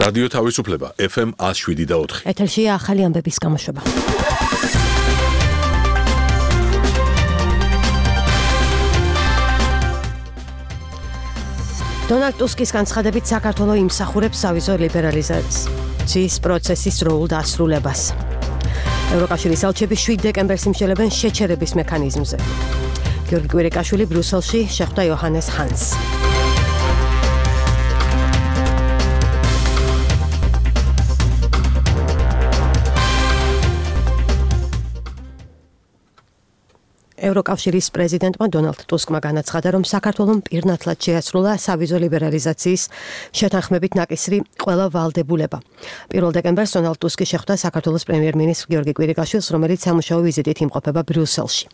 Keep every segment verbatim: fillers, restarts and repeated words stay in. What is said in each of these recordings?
რადიო თავისუფლება ეფ ემ one oh seven და four. ეთერშია ახალი ამბების გამოშვება. დონალდ ტუსკის განცხადებით საქართველო იმსახურებს სავიზო ლიბერალიზაციის პროცესის დროულ დასრულებას. ევროკავშირის ელჩები შვიდ დეკემბერს იმშელებენ შეჩერების მექანიზმზე. გიორგი კვირიკაშვილი ბრიუსელში შეხვდა იოჰანეს ჰანს. ევროკავშირის პრეზიდენტმა დონალდ ტუსკმა განაცხადა, რომ საქართველომ პირნათლად შეასრულა სავიზო ლიბერალიზაციის შეთანხმებით ნაკისრი ყველა ვალდებულება. პირველ დეკემბერს დონალდ ტუსკი შეხვდა საქართველოს პრემიერ-მინისტრ გიორგი კვირიკაშვილს, რომელიც სამუშაო ვიზიტით იმყოფება ბრიუსელში.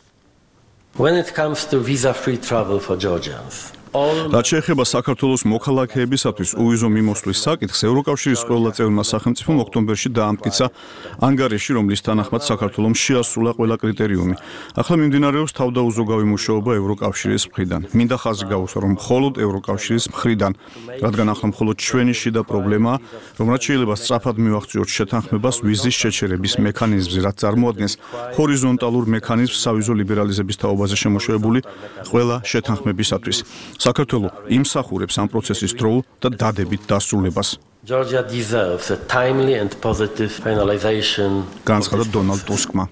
When it comes to visa-free travel for Georgians, რაც შეეხება საქართველოს მოქალაქეებისათვის უვიზო მიმოსვლის საკითხს, ევროკავშირის ყველა წევრმა სახელმწიფომ ოქტომბერში დაამტკიცა ანგარიში, რომლის თანახმად საქართველომ შეასრულა ყველა კრიტერიუმი. ახლა მიმდინარეობს თავდაუზოგავი მუშაობა ევროკავშირის მხრიდან. მინდა ხაზი გაუსვა, რომ მხოლოდ ევროკავშირის მხრიდან, რადგან ახლა მხოლოდ ჩვენი შიდა პრობლემაა, რომ რაც შეიძლება სწრაფად მივახციოთ შეთანხმებას ვიზის შეჩერების მექანიზმზე, რაც წარმოადგენს ჰორიზონტალურ მექანიზმს სავიზო ლიბერალიზების თაობაზე შემოშევებული ყველა შეთანხმებისათვის. საქართველო იმსახურებს ამ პროცესის დროულ და დადებით დასრულებას. Georgia deserves a timely and positive finalization. განცხადა დონალდ ტუსკმა.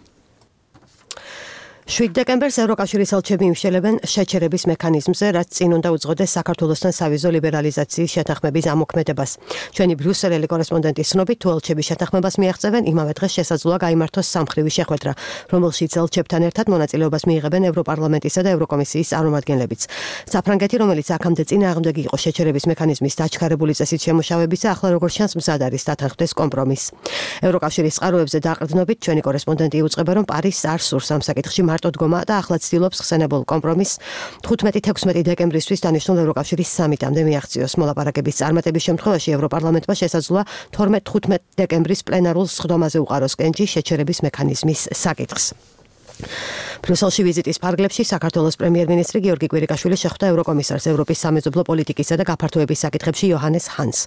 შვიდ დეკემბერს ევროკავშირის ელჩები იმშელებენ შეჩერების მექანიზმზე, რაც წინ უნდა უძღოდეს საქართველოსთან სავიზო ლიბერალიზაციის შეთანხმების ამოქმედებას. ჩვენი ბრიუსელელი კორესპონდენტის ცნობით, თუ ელჩები შეთანხმებას მიაღწევენ, იმავე დღეს შესაძლოა გაიმართოს სამხრივი შეხვედრა, რომელშიც ელჩებთან ერთად მონაწილეობას მიიღებენ ევროპარლამენტისა და ევროკომისიის წარმომადგენლებიც. საფრანგეთი, რომელიც აქამდე წინააღმდეგი იყო შეჩერების მექანიზმის დაჩქარებული წესით შემუშავებისა, ახლა როგორც ჩანს მზად არის დათანხმდეს კომპრომისს. ევროკავშირის წყაროებზე დაყრდნობით ჩვენი კორესპონდენტი იუწყება, რომ პარიზს არ სურს ამ საკითხში მარტო დგომა და ახლა ცდილობს ხსენებულ კომპრომისს თხუთმეტი-თექვსმეტი დეკემბრისთვის დანიშნულ ევროკავშირის სამიტამდე მიაღწიოს. მოლაპარაკების წარმატების შემთხვევაში ევროპარლამენტმა შესაძლოა თორმეტ-თხუთმეტ დეკემბრის პლენარულ სხდომაზე უყაროს კენჭი შეჩერების მექანიზმის საკითხს. ბრიუსელში ვიზიტის ფარგლებში საქართველოს პრემიერ-მინისტრი გიორგი კვირიკაშვილი შეხვდა ევროკომისარს ევროპის სამეზობლო პოლიტიკისა და გაფართოების საკითხებში იოჰანეს ჰანს.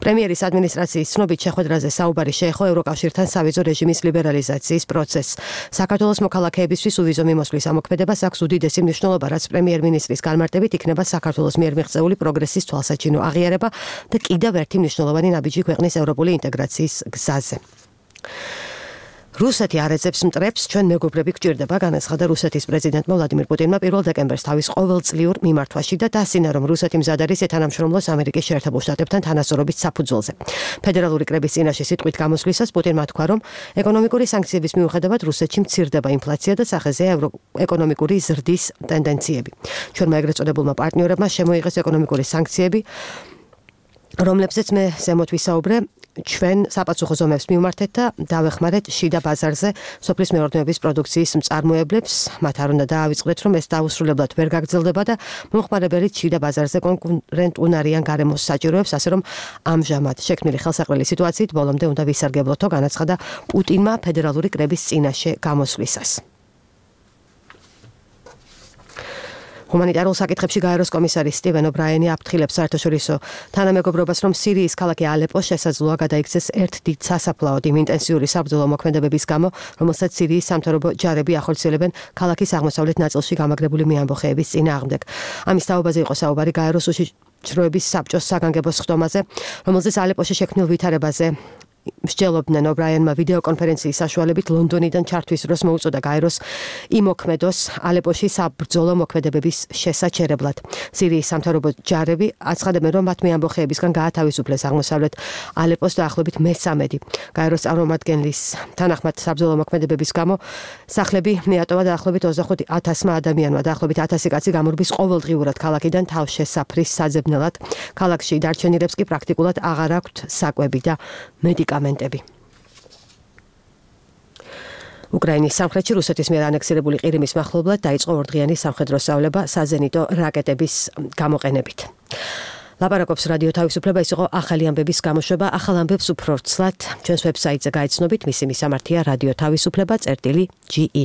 პრემიერის ადმინისტრაციის ცნობით შეხვედრაზე საუბარი შეეხო ევროკავშირთან სავიზო რეჟიმის ლიბერალიზაციის პროცესს. საქართველოს მოქალაქეებისთვის უვიზო მიმოსვლის ამოქმედებას აქვს უდიდესი მნიშვნელობა, რაც პრემიერ-მინისტრის განმარტებით იქნება საქართველოს მიერ მიღწეული პროგრესის თვალსაჩინო აღიარება და კიდევ ერთი მნიშვნელოვანი ნაბიჯი ქვეყნის ევროპული ინტეგრაციის გზაზე. რუსეთი არ ეძებს მტრებს, ჩვენ მეგობრები გვჭირდება, განაცხადა რუსეთის პრეზიდენტმა ვლადიმირ პუტინმა პირველ დეკემბერს თავის ყოველწლიურ მიმართვაში და დასცინა, რომ რუსეთი მზად არის ეთანამშრომლოს ამერიკის შეერთებულ შტატებთან თანასწორობის საფუძველზე. ფედერალური კრების წინაშე სიტყვით გამოსვლისას პუტინმა თქვა, რომ ეკონომიკური სანქციების მიუხედავად რუსეთში მცირდება ინფლაცია და სახეზეა ეკონომიკური ზრდის ტენდენციები. ჩვენმა ეგრეთ წოდებულმა პარტნიორებმა შემოიღეს ეკონომიკური სანქციები, რომლებზეც მე ზემოთ ვისაუბრე, ჩვენ საპასუხო ზომებს მივმართეთ და დავეხმარეთ შიდა ბაზარზე სოფლის მეურნეობის პროდუქციის მწარმოებლებს, მათ არ უნდა დაავიწყდეთ, რომ ეს დაუსრულებლად ვერ გაგრძელდება და მომხმარებელიც შიდა ბაზარზე კონკურენტუნარიან გარემოს საჭიროებს, ასე რომ ამჟამად შექმნილი ხელსაყრელი სიტუაციით ბოლომდე უნდა ვისარგებლოთო, განაცხადა პუტინმა ფედერალური კრების წინაშე გამოსვლისას. ჰუმანიტარულ საკითხებში გაეროს კომისარი სტივენ ობრაენი აფრთხილებს საერთაშორისო თანამეგობრობას, რომ სირიის ქალაქი ალეპო შესაძლოა გადაიქცეს ერთ დიდ სასაფლაოდ იმ ინტენსიური საბრძოლო მოქმედებების გამო, რომელსაც სირიის სამთავრობო ჯარები ახორციელებენ ქალაქის აღმოსავლეთ ნაწილში გამაგრებული მეამბოხეების წინააღმდეგ. ამის თაობაზე იყო საუბარი გაეროს უშიშროების საბჭოს საგანგებო სხდომაზე, რომელზეც ალეპოში შექმნილ ვითარებაზე მსჯელობდნენ. ობრაენმა ვიდეო კონფერენციის საშუალებით ლონდონიდან ჩართვის დროს მოუწოდა გაეროს იმოქმედოს ალეპოში საბრძოლო მოქმედებების შესაჩერებლად. სირიის სამთავრობო ჯარები აცხადებენ, რომ მათ მეამბოხეებისგან გაათავისუფლეს აღმოსავლეთ ალეპოს დაახლოებით მესამედი. გაეროს წარმომადგენლის თანახმად საბრძოლო მოქმედებების გამო სახლები მიატოვა დაახლოებით ოცდახუთ ათასმა ადამიანმა. დაახლოებით ათასი კაცი გამორბის ყოველდღიურად ქალაქიდან თავშესაფრის საძებნელად. ქალაქში დარჩენილებს კი პრაქტიკულად აღარ აქვთ საკვები და მედიკამენტები. უკრაინის სამხრეთში რუსეთის მიერ ანექსირებული ყირიმის მახლობლად დაიწყო ორდღიანი სამხედრო სწავლება საზენიტო რაკეტების გამოყენებით. ლაპარაკობს რადიო თავისუფლება, ის იყო ახალი ამბების გამოშვება. ახალ ამბებს უფრო ცლად ჩვენს ვებსაიტზე გაიცნობით, მისი მისამართია რადიო თავისუფლება წერტილი ჯი ი.